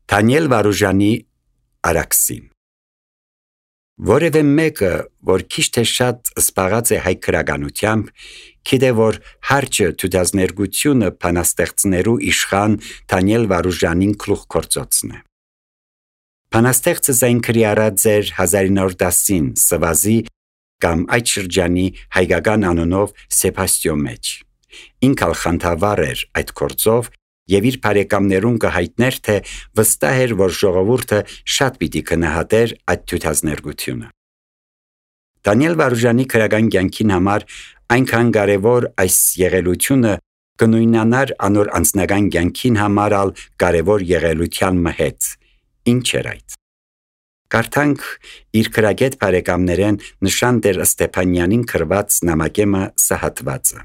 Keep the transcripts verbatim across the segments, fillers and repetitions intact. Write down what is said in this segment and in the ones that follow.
Դանիել Վարուժանի Արաքսին Որևէ մեկը, որ քիչ թե շատ զբաղած է հայ քրագանությամբ, գիտե, որ հարճը թութազներգությունը բանաստեղծներու իշխան Դանիել Վարուժանին գլուխ գործոցն է։ Բանաստեղծը զայնքրի առած էր հազար ինը յոթ տասին Սվազի կամ այդ շրջանի հայկական անունով Սեբաստիո մեջ։ Ինքալ խանդավառ էր այդ գործով եւ իր բարեկամներուն կհայտներ, թե վստահ էր, որ ժողովուրդը շատ պիտի գնահատեր այդ թութազներգությունը։ Դանիել Վարուժանի քրական կյանքին համար այնքան կարևոր այս եղելությունը կնույնանար անոր անձնական կյանքին համար ալ կարևոր եղելության մհեծ։ Ինչ էր այդ։ Կարդանք իր քրագետ բարեկամներեն նշան դեր Ստեփանյանին քրված նամակեմը սահատվածը։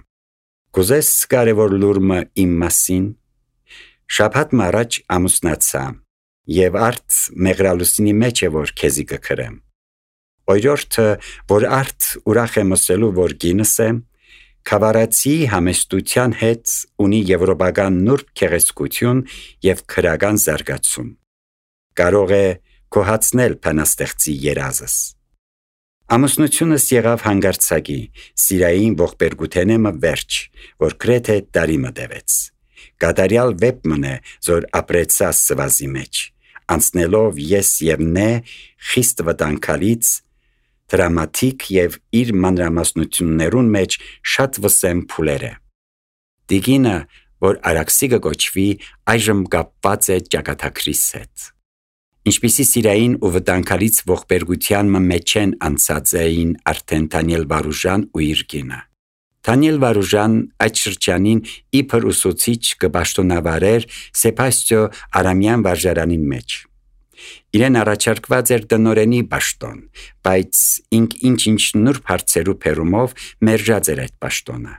Կուզես կարևոր լուրմը իմ մասին։ Շաբաթ առաջ ամուսնացա եւ արդ մեղրալուսինի մեջ է որ քեզի կքրեմ։ Օրյորթը որ արդ ուրախ եմ ասելու որ գինս է, Քավարացի համեստության հետ ունի եվրոպական նուրբ քեղեցկություն եւ քրական զարգացում։ Կարող է կոհացնել բանաստեղծի երազս։ Ամուսնությունս եղավ հանգարցակի, սիրային ողբերգութենեմը վերջ, որ գրեթե տարի մտևեց։ Կատարյալ վեպ մնե, զոր ապրեցա Սվազի մեջ, անցնելով ես եւ նե խիստ վտանգալից, դրամատիկ եւ իր մանրամասնություններուն մեջ շատ վսեմ փուլերը։ Դիգինը, որ Արաքսի կոչվի, այժմ կապված է ճակատագրիս հետ։ Ինչպիսի սիրային ու վտանգալից ողբերգության մեջ են անցած էին արդեն Դանիել Վարուժան ու իր կինը։ Դանիել Վարուժան այդ շրջանին իբր ուսուցիչ կպաշտոնավարեր Սեբաստիո Արամյան վարժարանին մեջ։ Իրեն առաջարկված էր տնօրենի պաշտոն, բայց ինք ինչ-ինչ նուրբ հարցերու փերումով մերժած էր այդ պաշտոնը։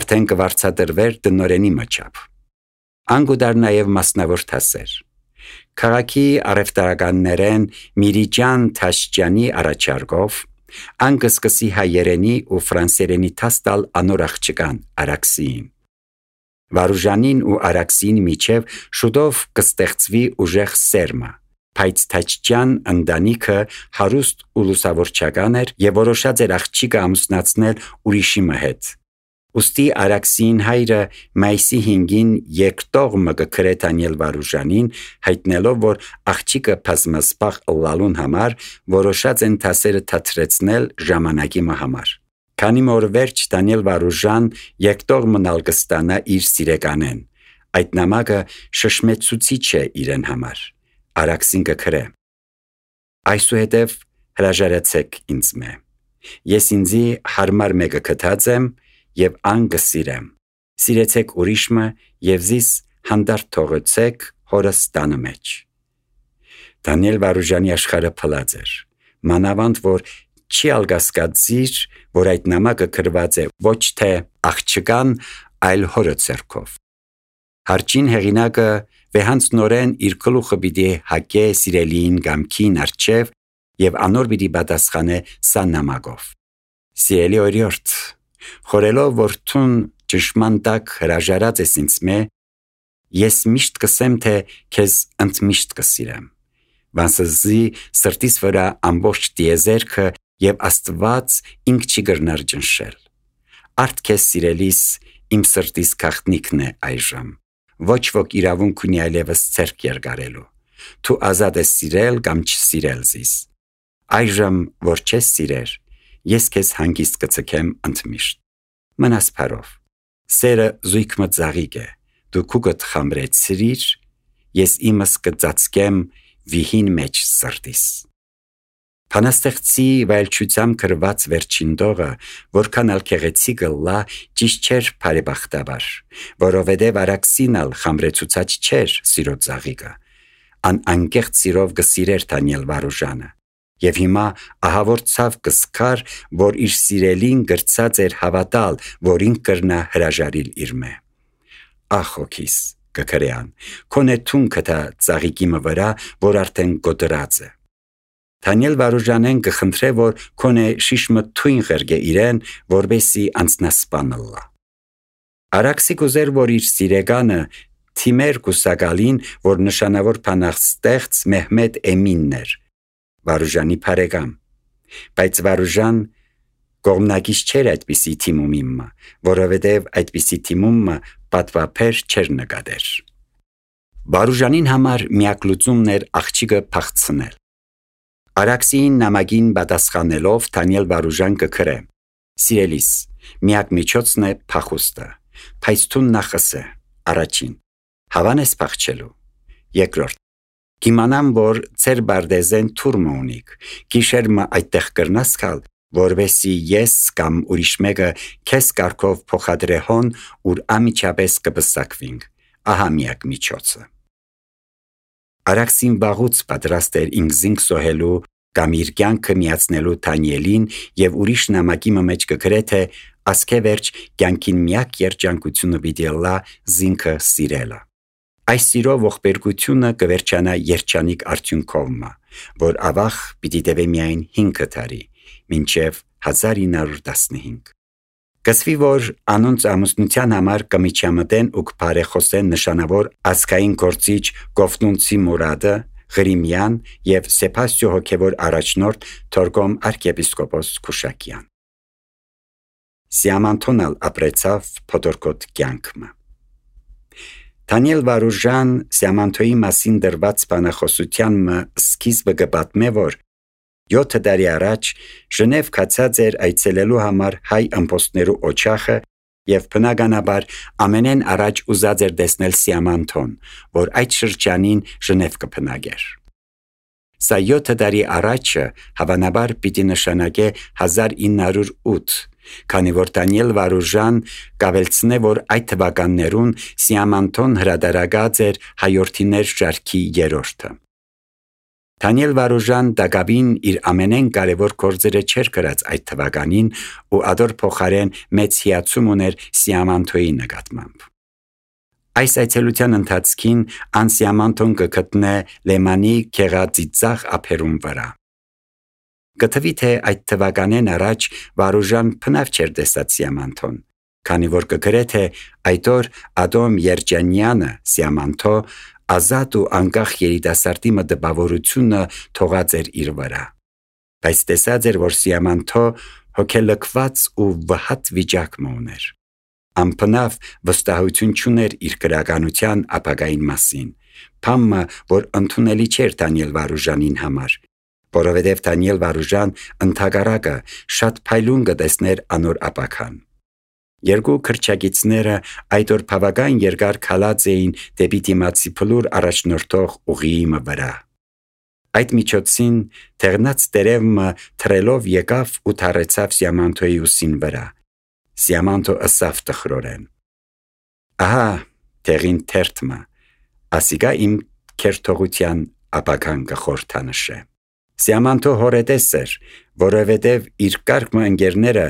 Արդեն կվարձատրվեր տնօրենի մոչապ։ Անգուդար նաև մասնավոր դասեր։ Քաղաքի առևտրականներեն Միրիջան Թաշջյանի առաջարկով անկսկսի հայերենի ու ֆրանսերենի տաստալ անոր աղջկան Արաքսին։ Վարուժանին ու Արաքսին միջև շուտով կստեղծվի ուժեղ սերմը, բայց Թաշջյան ընտանիքը հարուստ ու լուսավորչական էր եւ որոշած էր աղջիկը ամուսնացնել ուրիշի հետ։ Ուստի Արաքսին հայրը մայիսի հինգին երկտողմը կգրե Դանիել Վարուժանին, հայտնելով, որ աղջիկը բազմասպաղ ըլլալուն համար որոշած են դասերը թատրեցնել ժամանակի համար։ Քանի որ վերջ Դանիել Վարուժան երկտողմն ալ կստանա իր սիրեկանեն, այդ նամակը շշմեցուցիչ է իրեն համար։ Արաքսին կգրե. Այսուհետև հրաժարեցեք ինձ մե։ Ես ինձի հարմար մեկը գտած եմ եւ ան կսիրեմ։ Սիրեցեք ուրիշմը եւ զիս հանդարտ թողեցեք հորս տանը մեջ։ Դանիել Վարուժանի աշխարհը փլած էր։ Մանավանդ որ չի ալգասկածիր, որ այդ նամակը գրված է ոչ թե աղջկան, այլ հորը ցերկով։ Հարճին հեղինակը վեհանցնորեն իր գլուխը պիտի հակե սիրելիին գամքին արջև եւ անոր պիտի պատասխանե սա նամակով։ Սիրելի օրիորդ, խորելով որ թուն ճշմարտակ հրաժարած ես ինձ մե, ես միշտ կսեմ թե քեզ ընդմիշտ կսիրեմ։ Վասզի սրտիս վրա ամբողջ տիեզերքը եւ Աստված ինք չի գրնար ջնշել։ Արդ քեզ սիրելիս իմ սրտիս գաղտնիքն է այժմ։ Ոչ ոք իրավունք ունի այլևս ցերկ երգարելու։ Դու ազատ ես սիրել կամ չսիրել զիս։ Այժմ որ չես սիրեր, ես քեզ հանգիստ կցկեմ ընդմիշտ։ Մնաս բարով։ Սերը զույգ մծաղիկ է։ Դու քուգդ խամրեցրիր, ես իմս կծածկեմ վիհին մեջ սրտիս։ Բանաստեղծի վայելչությամբ գրված վերջին տողը, որքան ալ քեղեցիկ ըլլա, ճիշտ չէր բարեբախտաբար, որովհետև Արաքսին ալ խամրեցուցած չէր սիրո ծաղիկը։ Ան անկեղծ սիրով կսիրեր Դանիել Վարուժանը։ Եվ հիմա ահավոր ցավ կսկար, որ իր սիրելին գրծած էր հավատալ, որ ինք կրնա հրաժարիլ իր մե։ Ախ օքիս, կգրեան, քոնե թուն կտա ծաղիկի մը վրա, որ արդեն գոտրած է։ Դանիել Վարուժանեն կխնդրե, որ քոնե շիշմը թույն ղերգե իրեն, որբեսի անցնասպան ըլլա։ Արաքսի կուզեր, որ իր սիրեգանը Թիմեր Կուսակալին, որ նշանավոր փանախստեղծ Մեհմեդ Էմինն էր, Վարուժանի բարեկամ, բայց Վարուժան կողմնակից չէր այդպիսի թիմումիմը, որովհետև այդպիսի թիմումը պատվափեր չէր նկատեր։ Վարուժանին համար միակ լուծումն էր աղջիկը փախցնել։ Արաքսին նամակին պատասխանելով Դանիել Վարուժան կգրե. «Սիրելիս, միակ միջոցն է փախուստը, փայստուն նախսը, առաջին, հավան ես փախչելու, երկրորդ, կիմանամ, որ ծեր բարդեզեն թուրմը ունիք, գիշերմը այդտեղ կրնաս գալ, որովհետեւ ես կամ ուրիշ մեկը քեզ կարգով փոխադրե հոն, ուր ամիջապես կբսակվինք, ահա միակ միջոցը»։ Արաքսին վաղուց պատրաստ էր ինքզինք սոհելու կամ իր կյանքը միացնելու Դանիելին եւ ուրիշ նամակի մեջ կգրե թե ասկեվերջ կյանքին միակ երջանկությունը պիտի լա զինքը սիրելը։ Այս սիրո ողբերգությունը կվերջանա երջանիկ արդյունքով, որ ավաղ պիտի տևե միայն հինգ տարի, մինչև հազար ինը հարյուր տասնհինգ։ Կսվի, որ անոնց ամուսնության համար կմիջամտեն ու կբարեխոսեն նշանավոր ազգային գործիչ Կովտունցի Մուրադը, Ղրիմյան եւ Սեփաստիո հոգևոր առաջնորդ Թորգոմ arczepiskopos Քուշակյան։ Սիամանթոնալ ապրեցավ փոթորկոտ կյանքը։ Դանիել Վարուժան Սիամանթոյի մասին դրված բանախոսության սկիզբը կպատմե, որ յոթ տարի առաջ Ժնև կացած էր այցելելու համար հայ ըմպոստներու օջախը եւ բնականաբար ամենեն առաջ ուզած էր տեսնել Սիամանթոն, որ այդ շրջանին Ժնև կփնագեր։ Սա յոթ տարի առաջը հավանաբար պիտի նշանակե հազար ինը հարյուր ութ, քանի որ Դանիել Վարուժան կավելցնե, որ այդ թվականներուն Սիամանթոն հրադարագած էր հայորդիներ շարքի երրորդը։ Դանիել Վարուժան դակաբին իր ամենեն կարևոր գործերը չէր գրած այդ թվականին ու ադոր փոխարեն մեծ հիացում ուներ Սիամանթոյի նկատմամբ։ Այս այցելության ընթացքին ան Սիամանթոն կգտնե Լեմանի քեղածիծաղ ափերուն վրա։ Գտվի թե այդ թվականեն առաջ Վարուժան փնավ չէր տեսած Սիամանթոն, քանի որ կգրե թե այդ օր Ադոմ Երջանյանը Սիամանթո ազատ ու անկախ երիտասարդի մտավորությունը թողած էր իր վրա։ Բայց տեսած էր, որ Սիամանթո հոգելքված ու վհատ վիճակը ուներ։ Ամփնավ վստահություն չուներ իր գրականության ապագային մասին, բամը, որ ընդունելի չէր Դանիել Վարուժանին համար, որովհետև Դանիել Վարուժան ընդհակառակը շատ փայլուն կտեսներ անոր ապագան։ Երկու քրչագիծները այդ օր բավական երկար քալած էին դեպի դիմացի փլուր առաջնորդող ուղիի վրա։ Այդ միջոցին թեղնած տերևը թրելով եկավ ու թարեցավ Սիամանթոյի ուսին վրա։ Սիամանթո ըսավ տխրորեն. «Ահա տեղին թերթը, ասիկա իմ քերթողության ապագան կխորթանշե»։ Սիամանթո հորետես էր, որովհետև իր կարգը ընկերները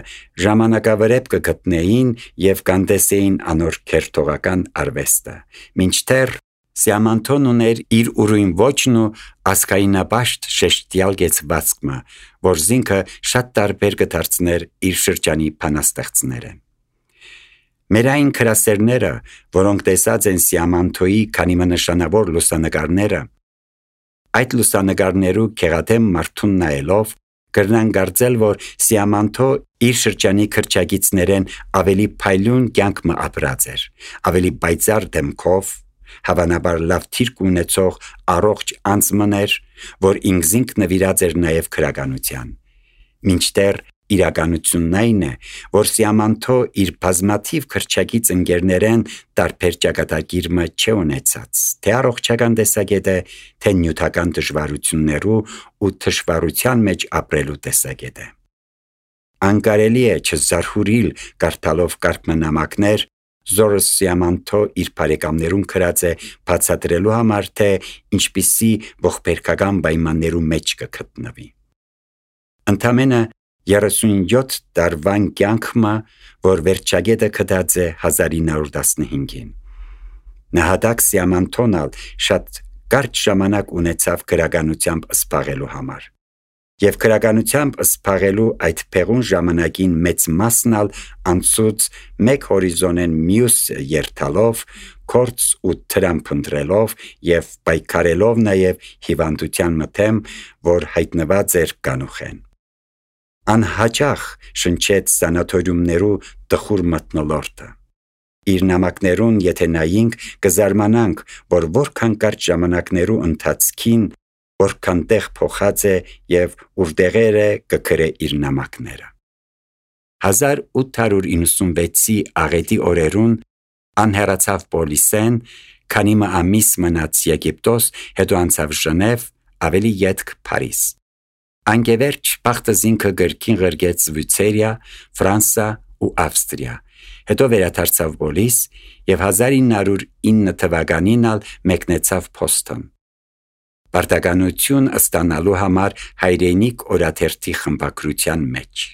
ժամանակավրեպ կգտնեին եւ կանտեսեին անոր քերթողական արվեստը, մինչդեռ Սիամանթոն ուներ իր ուրույն ոճն ու ասկայնապաշտ շեշտյալ գեցվածքը, որ զինքը շատ տարբեր կդարձներ իր շրջանի բանաստեղծները։ Մեր այն քրասերները, որոնք տեսած են Սիամանթոյի քանի նշանավոր լուսանկարները, այդ լուսանկարներու քեղատեմ մարդուն նայելով կրնան կարծել, որ Սիամանթո իր շրջանի քրչագիծներեն ավելի փայլուն կյանք մը ապրած էր, ավելի բայծար դեմքով, հավանաբար լավ թիրք ունեցող առողջ անձմներ, որ ինքզինք նվիրած էր նաև քրականության։ Մինչդեռ իրականությունն այն է, որ Սիամանթո իր բազմաթիվ քրչագից ընկերներեն տարբեր ճակատագիրը չէ ունեցած, թե առողջական տեսակետը, թե նյութական դժվարություններու ու դժվարության մեջ ապրելու տեսակետը։ Անկարելի է չզարհուրիլ կարդալով կարգնամակներ, զորը Սիամանթո իր բարեկամներուն գրած է բացատրելու համար, թե ինչպիսի ողբերգական պայմաններու մեջ կգտնվի։ Ընդամենը երեսունյոթ տարվան կյանքը, որ վերջագետը գտած է հազար ինը հարյուր տասնհինգին։ Նահատակ Սիամանթոնալ շատ կարճ ժամանակ ունեցավ գրականությամբ զբաղելու համար։ Եվ քրագանությամբ սփաղելու այդ փեղուն ժամանակին մեծ մասնալ անցուց մեկ հորիզոնեն մյուս երթալով, կորց ու տրամփ ընտրելով եւ պայքարելով նաեւ հիվանդության մթեմ, որ հայտնված էր կանուխեն։ Անհաճախ շնչեց սանատորիումներու տխուր մթնոլորտը։ Իր նամակներուն եթե նայինք կզարմանանք, որ որքան կարճ ժամանակներու ընթացքին որքան տեղ փոխած է եւ ուրդեղերը կգրե իր նամակները։ հազար ութ հարյուր իննսունվեցի աղետի օրերուն անհեռացավ Պոլիսեն, քանի մը ամիս մնաց Եգիպտոս, հետո անցավ Ժնև, ավելի ետք Փարիզ։ Անգևերջ Պախտզինքը գրքին ղրգեց Վիցերիա, Ֆրանսա ու Ավստրիա, հետո վերադարձավ Պոլիս եւ հազար ինը հարյուր ինը թվականին ալ մեկնեցավ Փոստոն։ Պարտականություն ստանալու համար հայրենիք օրաթերթի խմբակրության մեջ։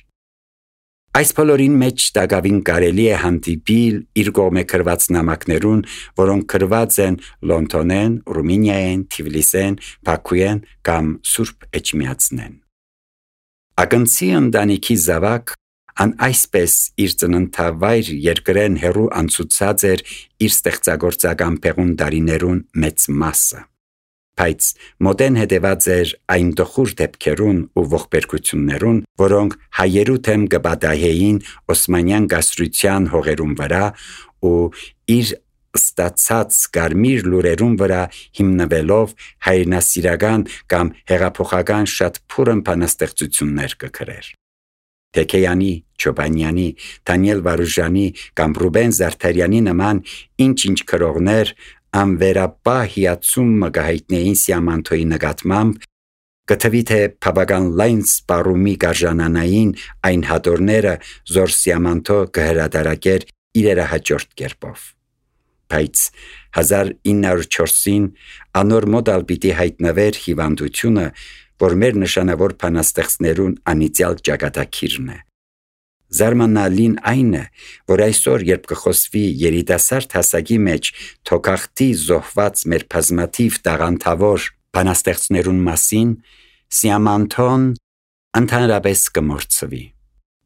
Այս բոլորին մեջ տագավին կարելի է հանդիպիլ իր կողմե գրված նամակներուն, որոնք գրված են Լոնդոնեն, Ռումինիայեն, Թիֆլիսեն, Բաքուեն կամ Սուրբ Էջմիածնեն։ Ակնցի ընտանիքի զավակ ան այսպես իր ծննդավայր երկրեն հերու անցուցած էր իր ստեղծագործական փեղուն դարիներուն մեծ մասը։ Բայց մոդեն հետևած էր այն տխուր դեպքերուն ու ողբերգություններուն, որոնք հայերու թեմ կբադահեին Օսմանյան գասրության հողերուն վրա ու իր ստացած կարմիր լուրերուն վրա հիմնվելով հայրենասիրական կամ հեղափոխական շատ փուրն բանաստեղծություններ կգրեր։ Թեքեյանի, Չոբանյանի, Դանիել Վարուժանի կամ Ռուբեն Զարդարյանի նման ինչ-ինչ քրողներ անվերապահ հիացում մգահիտնեին Սիամանթոյի նկատմամբ, կթվի թե բավական լայն սպառումի գարժանանային այն հատորները, զոր Սիամանթո կհրադարակեր իրերը հաջորդ կերպով։ Բայց հազար ինը հարյուր չորսին անոր մոդալ պիտի հայտնվեր հիվանդությունը, որ մեր նշանավոր բանաստեղծներուն անիծյալ ճակատագիրն է։ Զարմանալին այն է, որ այսօր երբ կխոսվի երիտասարդ հասակի մեջ թոքախտի զոհված մեր բազմաթիվ տաղանդավոր բանաստեղծներուն մասին, Սիամանթոն ընդհանրապես կմոռցվի։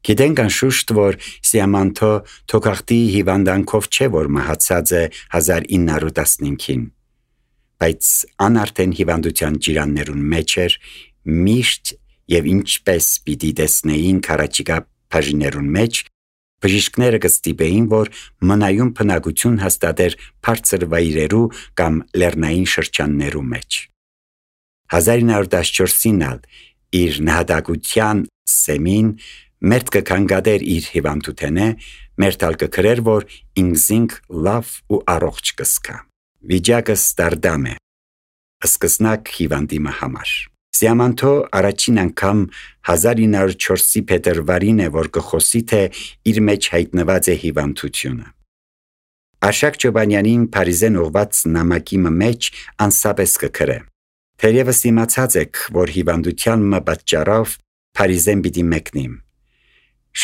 Գիտենք անշուշտ, որ Սիամանթո թոքախտի հիվանդանքով չէ, որ մահացած է հազար ինը հարյուր տասնհինգին, բայց ան արդեն հիվանդության ջիրաններուն մեջ էր, միշտ եւ ինչպես պիտի տեսնեին քարաչիկա բաժիներուն մեջ, բժիշկները կստիպեին, որ մնայուն բնակություն հաստատեր բարձր վայրերու կամ լեռնային շրջաններու մեջ։ հազար ինը հարյուր տասնչորսին ալ իր նահատակության սեմին մերթ կքանգադեր իր հիվանդութենե, մերթ ալ կգրեր, որ ինքզինք լավ ու առողջ կսկա։ Վիճակը ստարդամ է, սկսնակ հիվանդիմը համար։ Սիամանթո առաջին անգամ հազար ինը հարյուր չորսի փետրվարին է, որ կխոսի, թե իր մեջ հայտնված է հիվանդությունը։ Արշակ Չոբանյանին Փարիզեն ուղված նամակի մեջ անսապես կգրե. Թերևս իմացած եք, որ հիվանդության մը պատճառով Փարիզեն պիտի մեկնիմ։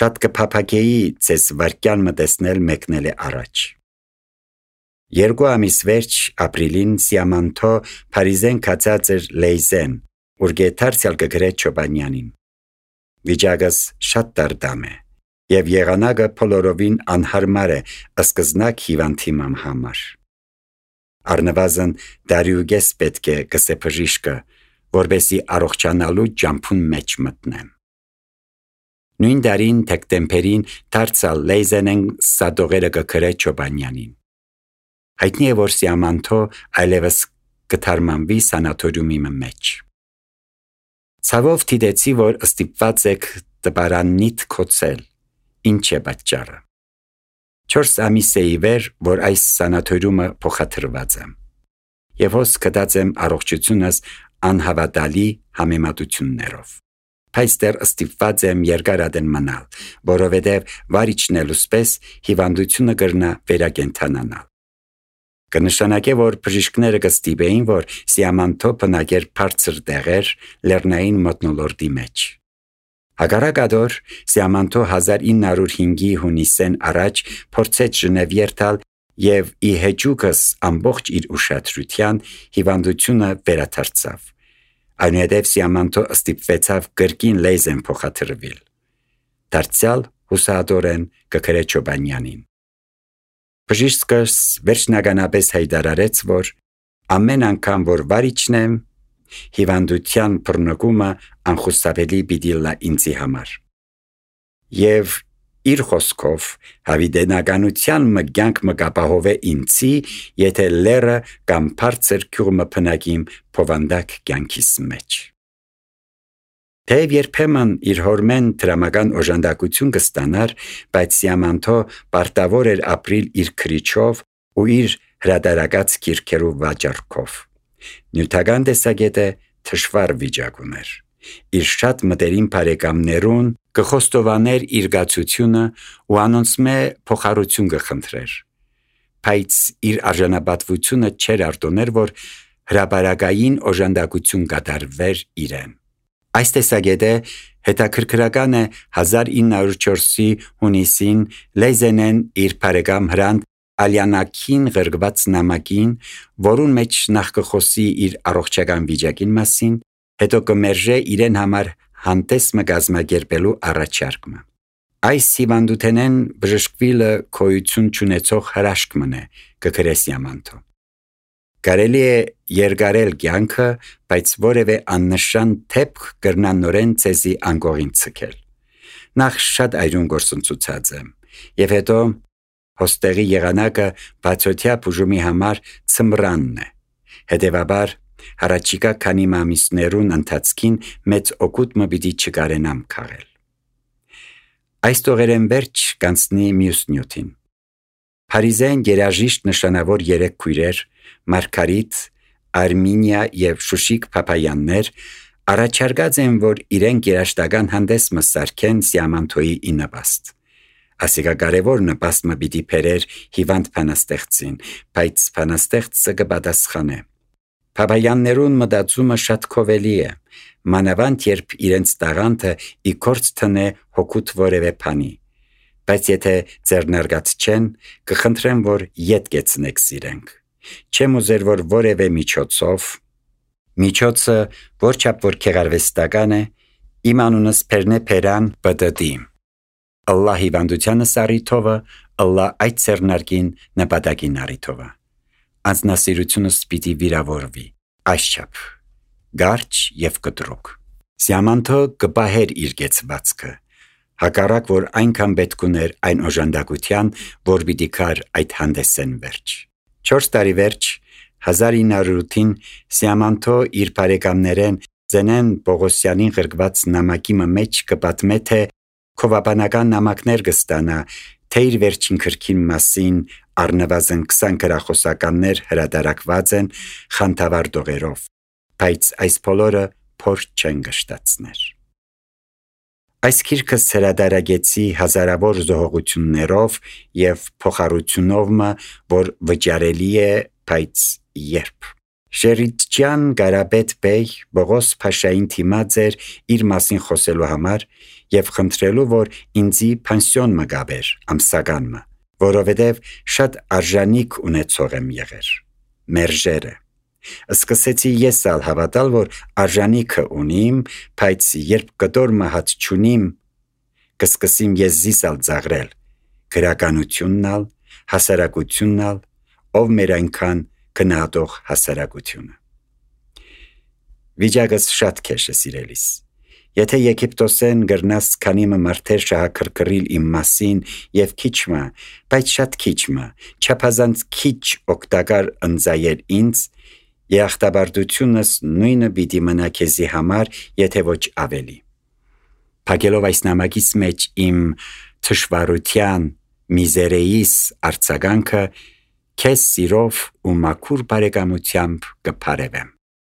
Շատ կփափագեի ձեզ վարկյան մը տեսնել մեկնել է առաջ։ Երկու ամիս վերջ ապրիլին Սիամանթո Փարիզեն կացած էր Լեյզեն, ուր գետարցյալ կգրե Չոբանյանին։ Վիճակս շատ դարդամ է, եւ եղանակը փոլորովին անհարմար է սկզնակ հիվանդիմամ համար։ Առնվազն դարյուգես պետք է գսե բժիշկը, որբեսի առողջանալու ջամփուն մեջ մտնեմ։ Նույն դարին դեկտեմբերին դարձալ Լեյզենեն սադողերը կգրե Չոբանյանին։ Հայտնի է, որ Սիամանթո այլևս կթարմանվի սանատորիումի մեջ։ Ցավով դիտեցի, որ ստիպված եք տպարաննիդ կոծել, ինչ է պատճառը։ Չորս ամիս է ի վեր, որ այս սանատորիումը փոխադրված եմ, եւ հոս կդած եմ առողջությունս անհավատալի համեմատություններով։ Բայց դեռ ստիպված եմ երկարադեն մնալ, որովհետև վարիչնելուց պես հիվանդությունը կրնա վերակենդանանալ։ Կնշանակե, որ բժիշկները կստիպեին, որ Սիամանթո բնակեր բարձր տեղեր լեռնային մթնոլորտի մեջ։ Հակառակադոր Սիամանթո հազար ինը հարյուր հինգի հունիսեն առաջ փորձեց Ժնև երթալ եւ ի հեճուկս ամբողջ իր ուշադրության հիվանդությունը վերադարձավ։ Այնուհետև Սիամանթո ստիպվեցավ կրկին լեզեն փոխադրվել։ Դարձյալ հուսահատորեն կգրե Չոբանյանին։ Բժիշկս վերջնականապես հայտարարեց, որ ամեն անգամ որ վարիչն եմ, հիվանդության բռնկումը անխուսափելի պիտի լա ինձի համար։ Եվ իր խոսքով հավիտենականության մգյանք մկապահովե ինձի, եթե լերը կամ բարձր քյուրմը փնակիմ փովանդակ կյանքիս մեջ։ Թեև երբեմն իր հորմեն դրամական օժանդակություն կստանար, բայց Սիամանթո պարտավոր էր ապրիլ իր քրիչով ու իր հրադարակած կիրքերու վաճառքով։ Նյութական տեսակետը թշվառ վիճակ ուներ։ Իր շատ մտերիմ բարեկամներուն կխոստովաներ իր գացությունը ու անոնցմե փոխառություն կխնդրեր։ Բայց իր արժանապատվությունը չէր արտոներ, որ հրապարակային օժանդակություն կատարվեր իրեն։ Այս տեսակետը հետաքրքրական է հազար ինը հարյուր չորսի հունիսին Լեյզենեն իր բարեկամ Հրանտ Ալյանաքին ղրգված նամակին, որուն մեջ նախ կխոսի իր առողջական վիճակին մասին, հետո կմերժե իրեն համար հանդես մը կազմակերպելու առաջարկը։ Այս հիվանդութենեն բժշկվիլը քոյություն չունեցող հրաշք մնե, կգրե Սիամանթո։ Կարելի է երկարել կյանքը, բայց որևէ աննշան թեփք կրնան ցեզի անկողին ցկել։ Նախ շատ այրուն գործընծուցած եմ, եւ հետո հոստեղի եղանակը բացօթյա բուժումի համար ծմրանն է։ Հետևաբար Հարաճիկա քանի ամիսներուն ընթացքին մեծ օգուտ մը պիտի չկարենամ քաղել։ Այս տողերեն վերջ կանցնի մյուս նյութին։ Փարիզեն երաժիշտ նշանավոր երեք քույրեր՝ Մարգարիտ, Արմինիա եւ Շուշիկ Փափայաններ առաջարկած են, որ իրենք երաշտական հանդես մը սարքեն Սիամանթոյի իննպաստ։ Ասիկա կարևոր նպաստ մը պիտի բերեր հիվանդ փանաստեղծին, բայց փանաստեղծը կպատասխանե։ Փափայաններուն մտածումը շատ քովելի է, մանավանդ երբ իրենց տաղանդը ի կորց տնե հոգուտ որևէ բանի, բայց եթե ձեռնարկած չեն, կխնդրեմ, որ ետ կեցնեք սիրենք։ Չեմ ուզեր, որ որևէ միջոցով, միջոցը որչափ որ քեղարվեստական է, իմ անունս Փերնե Փերան բդդի։ Ալլահ հիվանդությանը սարիթովը, Ալլահ այդ ձեռնարկին նպատակին արիթովը։ Անձնասիրությունս պիտի վիրավորվի, այսչափ, գարչ և կտրուկ։ Սիամանթո կպահեր իր կեցվածքը, հակառակ որ այնքան պետք ուներ այն օժանդակության, որ պիտի կար այդ հանդեսեն վերջ։ Չորս տարի վերջ, հազար ինը հարյուր ութին Սիամանթո իր բարեկամներեն Զենեն Պողոսյանին ղրկված նամակի մեջ կպատմե, թե քովաբանական նամակներ կստանա, թե իր վերջին քրքին մասին առնվազն քսան գրախոսականներ հրադարակված են խանդավառ դողերով, բայց այս բոլորը փոր չեն գշտացներ։ Այս գիրքս հրադարագեցի հազարավոր զոհողություններով և փոխառությունով, որ վճարելի է, բայց երբ։ Շերիջյան Գարաբետ բեյ Բողոս Փաշային թիմած էր իր մասին խոսելու համար և խնդրելու, որ ինձի փանսիոն մը գաբեր, ամսական մը, որովհետև շատ արժանիք ունեցող եմ եղեր։ Մերժերը։ Սկսեցի ես ալ հավատալ, որ արժանիքը ունիմ, բայց երբ կտոր մը հատ չունիմ, կսկսիմ ես զիս ալ ծաղրել, գրականությունն ալ, հասարակությունն ալ, ով մեր այնքան գնահատող հասարակությունը։ Վիճակս շատ քեշ է սիրելիս։ Եթե Եգիպտոսեն գրնաս քանի մը մարդեր շահաքրքրիլ իմ մասին և քիչ մը, բայց շատ քիչ մը, չափազանց քիչ օգտակար ընձայել ինձ, երախտաբարդությունս նույնը պիտի մնա քեզի համար, եթե ոչ ավելի։ Փակելով այս նամակից մեջ իմ թշվառության, միզերեիս արձագանքը, քեզ սիրով ու մաքուր բարեկամությամբ կփարևեմ։